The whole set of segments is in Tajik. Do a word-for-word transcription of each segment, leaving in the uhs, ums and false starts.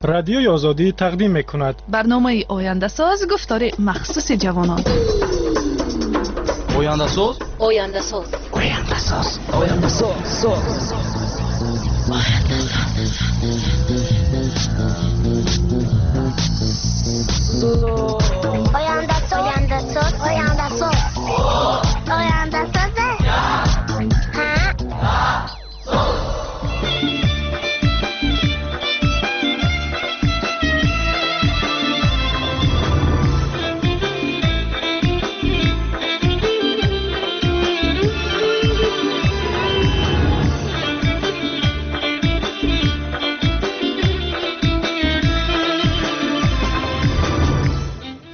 Радиои Озодӣ тақдим мекунад. Барномаи Ояндасоз, гуфтори махсуси ҷавонон. Ояндасоз, Ояндасоз, Ояндасоз, Ояндасоз, Ояндасоз, Ояндасоз, Ояндасоз, Ояндасоз.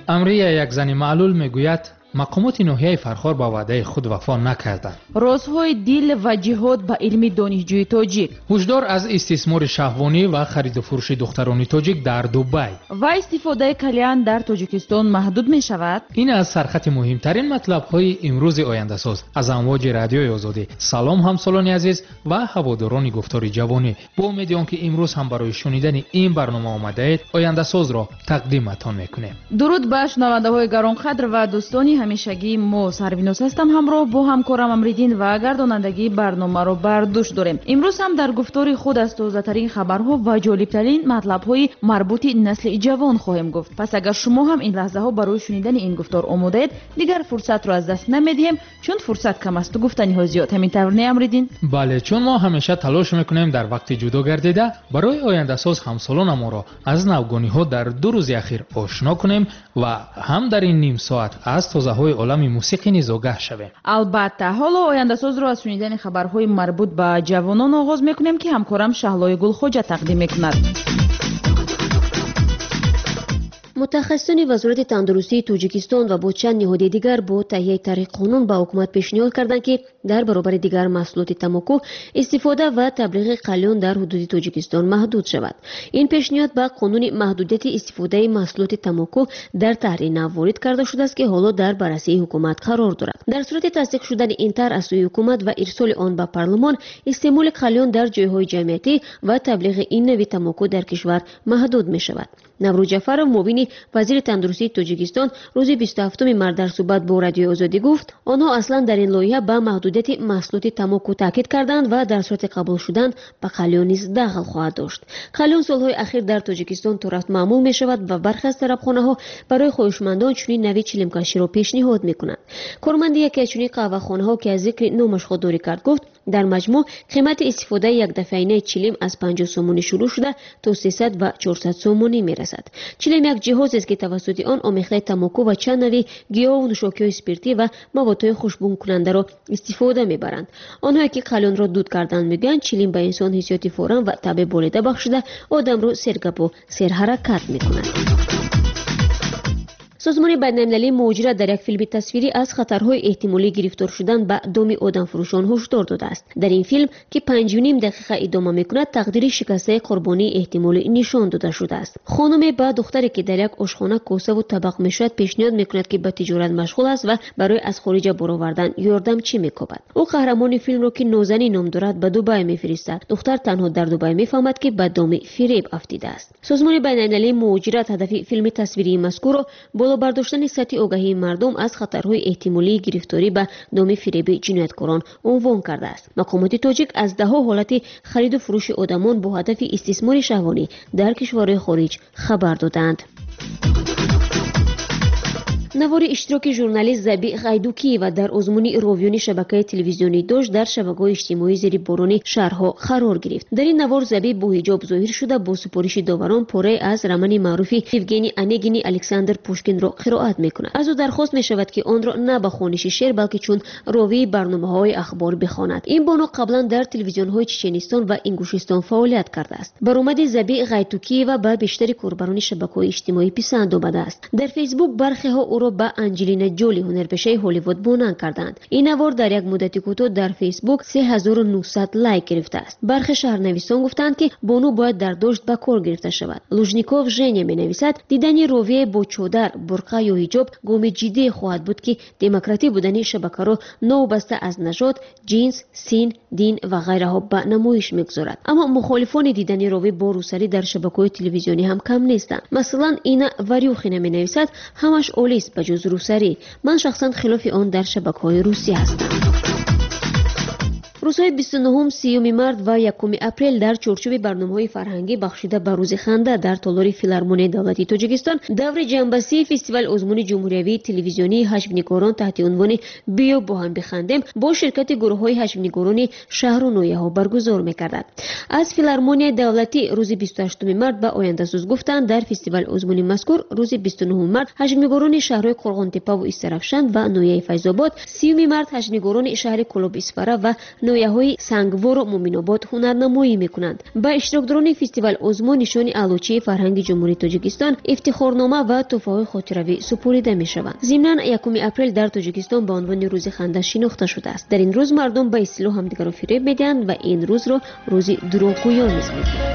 Амрия як зани маълул мегӯяд, мақомоти ноҳияи Фархор ба ваъдаи худ вафо накарданд. Розҳои дил ва ҷиҳод ба илми донишҷӯи тоҷик. Ҳушдор аз истисмори шаҳвонӣ ва хариду фурӯши духтарони тоҷик дар Дубай. Ва истифодаи кальян дар Тоҷикистон маҳдуд мешавад. Ин аз сархати муҳимтарин матлабҳои имрӯзи Ояндасоз аз амвоҷи Радиои Озодӣ. Салом ҳамсолони азиз ва ҳаводорони гуфтори ҷавонӣ. Бо умеди он ки имрӯз ҳам барои шунидани ин барнома омадаед, Ояндасозро тақдиматон мекунем. Дуруд ба шунавандаҳои гаронқадр ва дӯстони ҳамешагии мо. Сарвиноз ҳастам, ҳамроҳ бо ҳамкорам Амриддин ва гардонандагии барномаро бар дӯш дорем. Имрӯз ҳам дар гуфтори худ аз тозатарин хабарҳо ва ҷолибтарин матлабҳои марбути насли ҷавон хоҳем гуфт. Пас агар шумо ҳам ин лаҳзаҳо барои шунидани ин гуфтор омодаед, дигар фурсатро аз даст намедиҳем, чун фурсат кам асту гуфтаниҳо зиёд. Ҳамин тавр не, Амриддин? Бале, чун мо ҳамеша талош мекунем дар вақти ҷудо гардида барои Ояндасоз ҳамсолонамонро аз навгониҳо дар ду рӯзи ахир ошно кунем ва ҳам дар ин ним соат аз тозаҳои олами мусиқӣ низ огаҳ шавем. Албатта, ҳоло Ояндасозро аз шунидани хабарҳои марбут ба ҷавонон оғоз мекунем, ки ҳамкорам Шаҳлои Гулхоҷа тақдим мекунад. Мутахассисони Вазорати тандурустии Тоҷикистон ва бо чанд ниҳоди дигар бо таҳияи тарҳи қонун ба ҳукумат пешниҳод карданд, ки дар баробари дигар маҳсулоти тамоку истифода ва таблиғи қалён дар ҳудуди Тоҷикистон маҳдуд шавад. Ин пешниҳод ба қонуни маҳдудияти истифодаи маҳсулоти тамоку дар таҳри нав ворид карда шудааст, ки ҳоло дар баррасии ҳукумат қарор дорад. Дар сурати тасдиқ шудани ин тарҳ аз сӯи ҳукумат ва ирсоли он ба парлумон, истеъмоли қалён дар ҷойҳои ҷамъиятӣ ва таблиғи ин нави тамоку дар кишвар маҳдуд мешавад. Наврӯз Ҷафаров, муовини вазири тандурустии Тоҷикистон, рӯзи бисту ҳафтуми март дар суҳбат бо Радиои Озодӣ гуфт, онҳо аслан дар ин лоиҳа ба маҳдудияти маҳсулоти тамоку таъкид карданд ва дар сурати қабул шудан ба қалён низ дахл хоҳад дошт. Қалён солҳои ахир дар Тоҷикистон торафт маъмул мешавад ва бархе аз тарабхонаҳо барои хоҳишмандон чунин нави чилимкаширо пешниҳод мекунанд. Корманди яке аз чунин қаҳвахонаҳо, ки аз зикри номаш худдорӣ кард, гуфт дар маҷмӯъ қимати истифодаи якдафъаинаи чилим аз панҷоҳ сомонӣ шурӯъ шуда то сесад ва чорсад сомонӣ мерасад. Чилим як ҷиҳозест, ки тавассути он омехтаи тамоку ва чанд нави гиёҳу нӯшокиҳои спиртӣ ва маводҳои хушбӯнкунандаро истифода мебаранд. Онҳое ки қалёнро дуд карданд мегӯянд, чилим ба инсон ҳиссиёти форам ва табъи болида бахшида одамро сергапу серҳаракат мекунад. Созмони байналмилалии муҳоҷират дар як филми тасвирӣ аз хатарҳои эҳтимолӣ гирифтор шудан ба доми одамфурӯшон ҳушдор додааст. Дар ин филм, ки панҷу ним дақиқа идома мекунад, тақдири шикастаи қурбонии эҳтимолӣ нишон дода шудааст. Хонуме ба духтаре, ки дар як ошхона косаву табақ мешавад, пешниҳод мекунад, ки ба тиҷорат машғул аст ва барои аз хориҷа баровардан ёрдамчӣ мекобад. Ӯ қаҳрамони филмро, ки Нозанин ном дорад, ба Дубай мефиристад. Духтар танҳо дар Дубай мефаҳмад, ки ба доми фиреб афтидааст. Созмони байналмилалии муҳоҷират ҳадафи филми тасвирии мазкурро боло бардоштани сатҳи огаҳии мардум аз хатарҳои эҳтимолии гирифторӣ ба доми фиреби ҷинояткорон унвон кардааст. Мақомоти тоҷик аз даҳҳо ҳолати хариду фурӯши одамон бо ҳадафи истисмори шаҳвонӣ дар кишварҳои хориҷ хабар додаанд. Навори иштироки журналист Заби Ғайдукиева дар озмуни ровиёни шабакаи телевизионӣ Дождь дар шабакаҳои иҷтимоӣ зери борони шаҳрҳо қарор гирифт. Дар ин навор Заби бо ҳиҷоб зоҳир шуда бо супориши доварон порае аз романи маъруфи Евгений Онегини Александр Пушкинро қироат мекунад. Аз ӯ дархост мешавад, ки онро на ба хониши шеър, балки чун ровии барномаҳои ахбор бихонад. Ин бону қаблан дар телевизионҳои Чеченистон ва Ингушистон фаъолият кардааст. Баромади Заби Ғайдукиева ба бештари корбарони шабакаҳои иҷтимоӣ писанд омадааст. Дар Фейсбук бархеҳо ӯро ба Анҷелина Ҷоли, ҳунарпешаи Ҳолливуд, монанд карданд. Ин навор дар як муддати кӯтоҳ дар Фейсбук се ҳазору нӯҳсад лайк гирифтааст. Бархе шаҳрнависон гуфтанд, ки бону бояд дар Дождь ба кор гирифта шавад. Лужников Женя менависад, дидани ровие бо чодар, бурқа ё ҳиҷоб гоми ҷиддие хоҳад буд, ки демократӣ будани шабакаро новобаста аз нажод, ҷинс, син, дин ва ғайраҳо ба намоиш мегузорад. Аммо мухолифони дидани ровӣ бо рӯсарӣ дар шабакаҳои телевизионӣ ҳам кам нестанд. Масалан, Ина Варюхина менависад: ҳамаш олист ба ҷуз рӯсарӣ. Ман шахсан хилофи он дар шабакаҳои русӣ ҳастам. Рӯзҳои бисту нуҳум, сиюми март ва якуми апрел дар чорчӯби барномаҳои фарҳангӣ бахшида ба рӯзи ханда дар толори филармонияи давлатии Тоҷикистон даври ҷанбасии фестивали озмуни ҷумҳуриявии телевизионии ҳаҷвнигорон таҳти унвони «Биё бо ҳам бихандем» бо ширкати гурӯҳҳои ҳаҷвнигорони шаҳру ноҳияҳо баргузор мекардад. Аз филармонияи давлатӣ рӯзи бисту ҳаштуми март ба ояндасоз гуфтанд, дар фестивали озмуни мазкур рӯзи бисту нуҳуми март ҳаҷвнигорони шаҳрҳои Қурғонтеппаву Истаравшан ва ноҳияи Файзобод, сиюми март ҳаҷвнигорони шаҳри Кӯлоби Исфара ва ноҳияҳои Сангвору Муминобод ҳунарнамоӣ мекунанд. Ба иштирокдорони фестивал озмун нишони аълочии фарҳанги Ҷумҳурии Тоҷикистон, ифтихорнома ва тӯҳфаҳои хотиравӣ супорида мешаванд. Зимнан, якуми апрел дар Тоҷикистон ба унвони рӯзи ханда шинохта шудааст. Дар ин рӯз мардум ба истилоҳ ҳамдигарро фиреб медиҳанд ва ин рӯзро рӯзи дурӯғгӯён низ мегӯянд.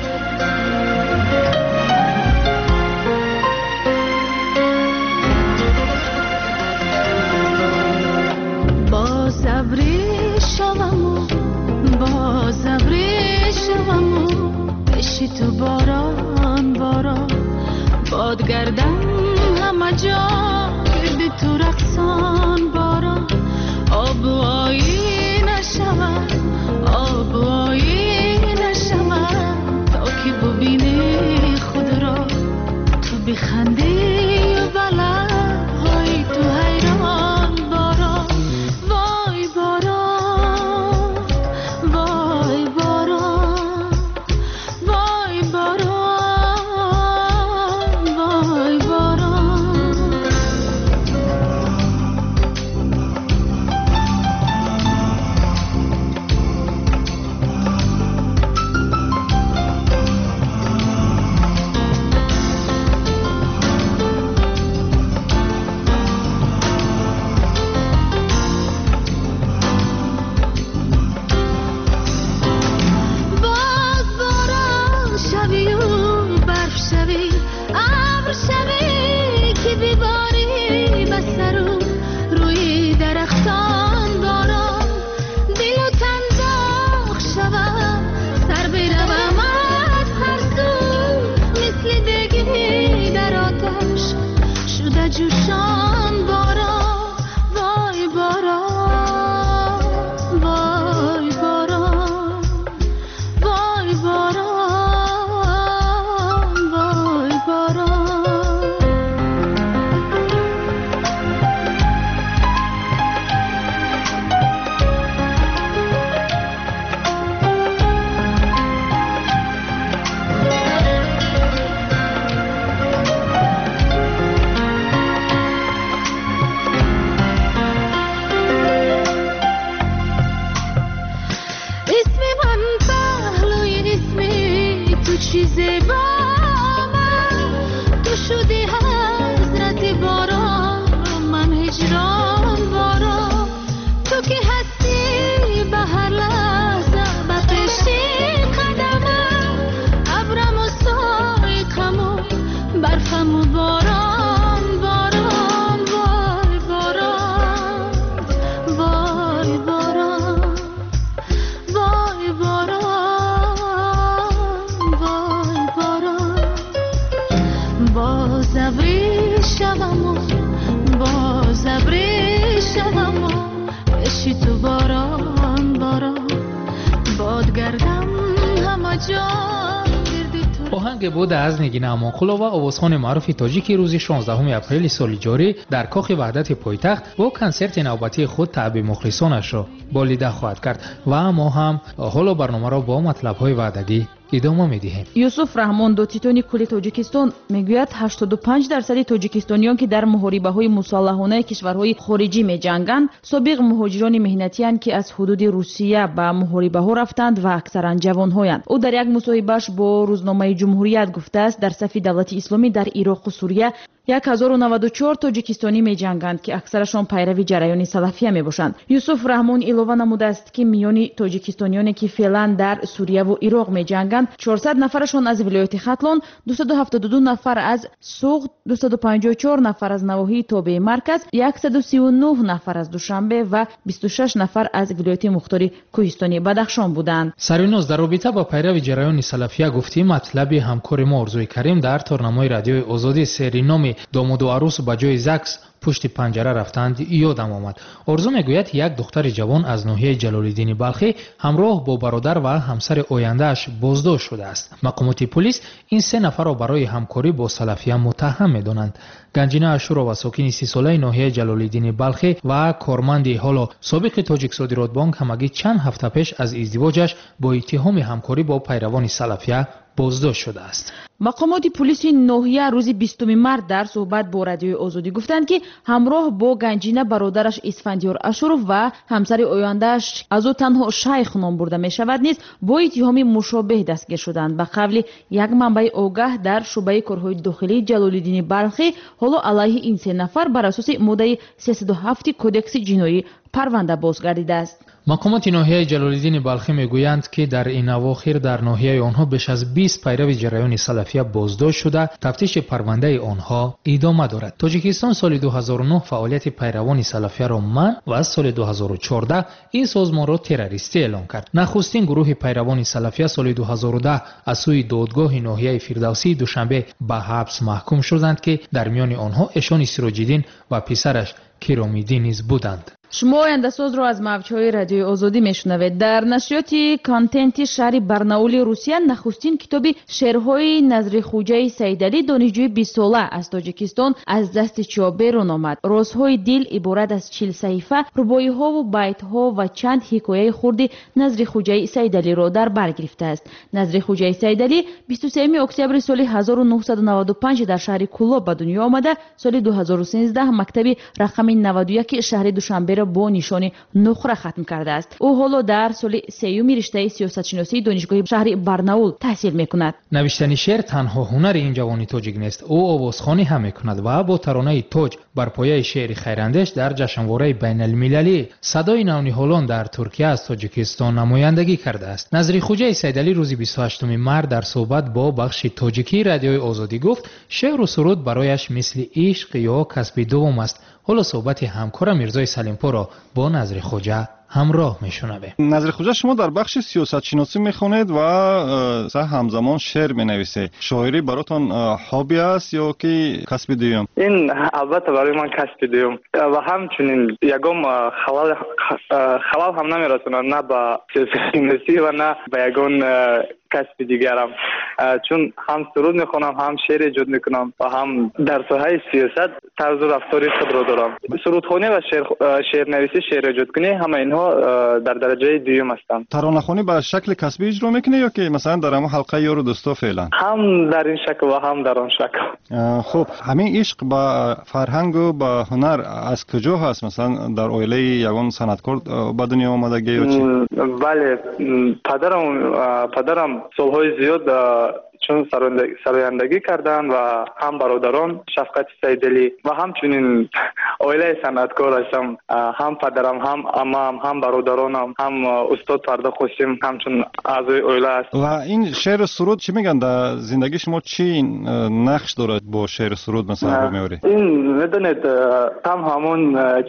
تو باران باران باد گردم همه جا گرد تو رقصان باران آب و آینه شود آب و آینه شود تا که ببینی خود را تو بخندی و بلبهای تو حیران باران وای باران وای باران وای باران وای باران. باز باران شوی و برف شوی ابر شوی که بباری به سر و روی درختان باران دل و تن داغ شود سر بروم از هر سو مثل دگی در آتش شده جوشان باران وای باران وای باران وای باران وای باران. اسم من پهلوی اسمی تو چیز با من تو شدی حضرت باران من هجران باران تو که هستی به هر لحظه به پیش قدمم ابرم و سایقم و برفم و باران باران وای باران وای باران وای باران وای باران باز ابری شوم و باز ابری شوم و پیش تو باران باران باد گردم همه جا گرد تو оҳанге буд аз Нигина Амонқулова, овозхони маъруфи тоҷики рӯзи шонздаҳуми апрели соли ҷорӣ дар кохи ваҳдати пойтахт бо консерти навбатии худ таъби мухлисонашро болида хоҳад кард ва мо ҳам ҳоло барномаро бо матлабҳои ваъдагӣ идома медиҳем. Юсуф Раҳмон, додситони кулли Тоҷикистон, мегӯяд ҳаштоду панҷ дарсади тоҷикистониён, ки дар муҳорибаҳои мусаллаҳонаи кишварҳои хориҷӣ меҷанганд, собиқ муҳоҷирони меҳнатиянд, ки аз ҳудуди Русия ба муҳорибаҳо рафтанд ва аксаран ҷавонҳоянд. Ӯ дар як мусоҳибааш бо рӯзномаи Ҷумҳурият гуфтааст, дар сафи давлати исломӣ дар Ироқу Сурия як ҳазору наваду чор тоҷикистонӣ меҷанганд, ки аксарашон пайрави ҷараёни салафия мебошанд. Юсуф Раҳмон илова намудааст, ки миёни тоҷикистониёне, ки феълан дар Сурияву Ироқ меҷанганд, чорсад нафарашон аз вилояти Хатлон, дусаду ҳафтоду ду нафар аз Суғд, дусаду панҷоҳу чор нафар аз навоҳии тобеи марказ, яксаду сию нӯҳ нафар аз Душанбе ва бисту шаш нафар аз вилояти мухтори Кӯҳистони Бадахшон буданд. Сарвиноз, дар робита ба пайрави ҷараёни салафия гуфтӣ, матлаби ҳамкори мо Орзуи Карим дар торнамои Радиои Озодӣ сери номи домоду арӯс ба ҷои ЗАГС пушти панҷара рафтанд ёдам омад. Орзу мегӯяд, як духтари ҷавон аз ноҳияи Ҷалолиддини Балхӣ ҳамроҳ бо бародар ва ҳамсари ояндааш боздошт шудааст. Мақомоти пулис ин се нафарро барои ҳамкорӣ бо салафия муттаҳам медонанд. Ганҷина Ашурова, сокини сисолаи ноҳияи Ҷалолиддини Балхӣ ва корманди ҳоло собиқи Тоҷиксодиротбонк, ҳамагӣ чанд ҳафта пеш аз издивоҷаш бо иттиҳоми ҳамкорӣ бо пайравони салафия боздошт шудааст. Мақомоти пулиси ноҳия рӯзи бистуми март дар суҳбат бо Радиои Озодӣ гуфтанд, ки ҳамроҳ бо Ганҷина бародараш Исфандиёр Ашуров ва ҳамсари ояндааш аз ӯ танҳо Шайх ном бурда мешавад низ бо иттиҳоми мушобеҳ дастгир шуданд. Ба қавли як манбаи огаҳ дар шӯъбаи корҳои дохилии Ҷалолиддини Балхӣ, ҳоло алайҳи ин се нафар бар асоси моддаи сесаду ҳафти Кодекси ҷиноӣ парванда боз гардидааст. Мақомоти ноҳияи Ҷалолиддини Балхӣ мегӯянд, ки дар ин авохир дар ноҳияи онҳо беш аз бист пайрави ҷараёни салафия боздошт шуда, тафтиши парвандаи онҳо идома дорад. Тоҷикистон соли ду ҳазору нӯҳ фаъолияти пайравони салафияро манъ ва соли ду ҳазору чордаҳ ин созмонро террористӣ эълон кард. Нахустин гурӯҳи пайравони салафия соли ду ҳазору даҳ аз сӯи додгоҳи ноҳияи Фирдавсии Душанбе ба ҳабс маҳкум шуданд, ки дар миёни онҳо Эшони Сироҷиддин ва писараш Киромиддин низ буданд. Шумо ояндасозро аз мавҷҳои Радиои Озодӣ мешунавед. Дар нашриёти контенти шаҳри Барнаули Русия нахустин китоби шеърҳои Назрихӯҷаи Саидалӣ, донишҷӯи бистсола аз Тоҷикистон, аз дасти чоп берун омад. Розҳои дил иборат аз чил саҳифа, рубоиҳову байтҳо ва чанд ҳикояи хурди Назрихӯҷаи Саидалиро дар бар гирифтааст. Назрихӯҷаи Саидалӣ бисту сеюми октябри соли ҳазору нӯҳсаду наваду панҷ дар шаҳри Кӯлоб ба дунё омада, соли ду ҳазору сенздаҳ мактаби рақами наваду яки шаҳри Душанбе бо нишони нуқра хатм кардааст. Ӯ ҳоло дар соли сеюми риштаи сиёсатшиносии донишгоҳи шаҳри Барнаул таҳсил мекунад. Навиштани шеър танҳо ҳунари ин ҷавони тоҷик нест. Ӯ овозхонӣ ҳам мекунад ва бо таронаи тоҷ бар пояи шеъри хайрандеш дар ҷашнвораи байналмилалӣ садои навниҳолон дар Туркия аз Тоҷикистон намояндагӣ кардааст. Назрихӯҷаи Саидалӣ рӯзи бисту ҳаштуми март дар суҳбат бо бахши тоҷикии Радиои Озодӣ гуфт, шеъру суруд барояш мисли ишқ ё касби дуввум аст. Ҳоло суҳбати ҳамкора Мирзои Салимпурро бо Назрихӯҷа ҳамроҳ мешунавем. Назрихӯҷа, шумо дар бахши сиёсатшиносӣ мехонед ва ҳамзамон шеър менависед. Шоирӣ баротон хобби аст ё ки касби дуюм? Ин албатта барои ман касби дуюм ва ҳамчунин ягон халал халал ҳам намерасонад на ба сиёсатшиносӣ ва на ба ягон касби дигарам, чун ҳам суруд мехонам, ҳам шеър эҷод мекунам ва ҳам дар соҳаи сиёсат тарзу рафтори худро дорам. Сурудхонӣ ва шеърнависӣ, шеър эҷодкунӣ, ҳама инҳо дар дараҷаи дуюм ҳастанд. Таронахонӣ ба шакли касбӣ иҷро мекунӣ ё ки масалан дар ҳамон ҳалқаи ёру дӯсто феълан? Ҳам дар ин шакл ва ҳам дар он шакл. Хуб, ҳамин ишқ ба фарҳангу ба ҳунар аз куҷо ҳаст? Масалан дар оилаи ягон санъаткор ба дунё омадагӣ ё чӣ? Бале, падарам падарам солҳои зиёд чун сарояндагӣ карданд ва ҳам бародарон Шафқати Саидалӣ ва ҳамчунин оилаи санъаткор ҳастам. Ҳам падарам, ҳам амам, ҳам бародаронам, ҳам устод Фарда Қосим ҳамчун аъзои оила аст. Ва ин шеъру суруд чӣ мегӯянд? Дар зиндагии шумо чӣ нақш дорад бо шеъру суруд масалан рӯ меоред? Ин медонед, там ҳамон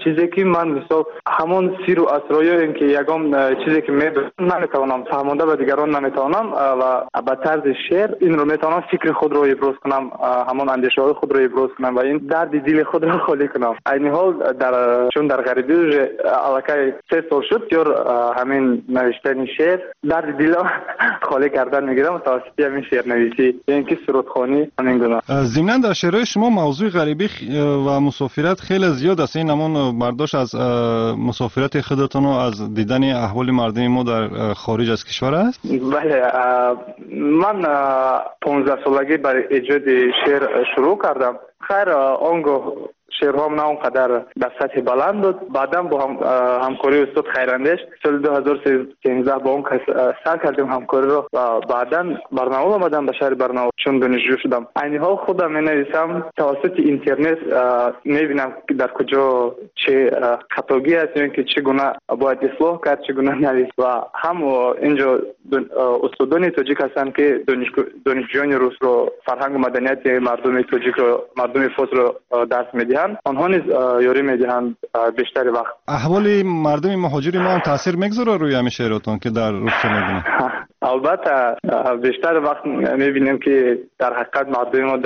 чизе ки ман мисол ҳамон сиру асроёем ки ягон чизе ки медонам наметавонам фаҳмонда ба дигарон наметавонам ва ба тарзи шеър инро метавонам фикри худро иброз кунам, ҳамон андешаҳои худро иброз кунам ва ин дарди дили худро холӣ кунам. Айни ҳол дар чун дар ғарибӣ уже аллакай се сол шуд, бисёр ҳамин навиштани шеър дарди дилро холӣ кардан мегирам тавассути ҳамин шеърнависӣ ё ин ки сурудхонӣ, ҳамин гуна. Зимнан дар шеърҳои шумо мавзӯи ғарибӣ ва мусофират хеле зиёд аст. Ин ҳамон бардошт аз мусофирати худатону аз дидани аҳволи мардуми мо дар хориҷ аз кишвар аст? Бале, ман понздаҳсолагӣ бар эҷоди шеър шурӯъ кардам. Хайр, он гоҳ Шеърҳоам на он қадар дар сатҳи баланд буд. Баъдан бо ҳамкории устод Хайрандеш соли ду ҳазор сенздаҳ бо он кас сар кардем ҳамкориро ва баъдан Барнаул омадам, ба шаҳри Барнаул, чун донишҷӯ шудам. Айни ҳол худам менависам, тавассути интернет мебинам дар куҷо чӣ хатогӣ аст ё ин ки чӣ гуна бояд ислоҳ кард, чӣ гуна навис. Ва ҳам инҷо устодони тоҷик ҳастанд, ки донишҷӯёни русро, фарҳангу маданияти мардуми тоҷикро, мардуми форсро дарс медиҳанд. Онҳо низ ёрӣ медиҳанд бештари вақт. Аҳволи мардуми муҳоҷири мо ҳам таъсир мегузорад рӯи ҳамин шеъротон, ки дар Русия мебинед? Албатта, бештар вақт мебинем, ки дар ҳақиқат мардуми мо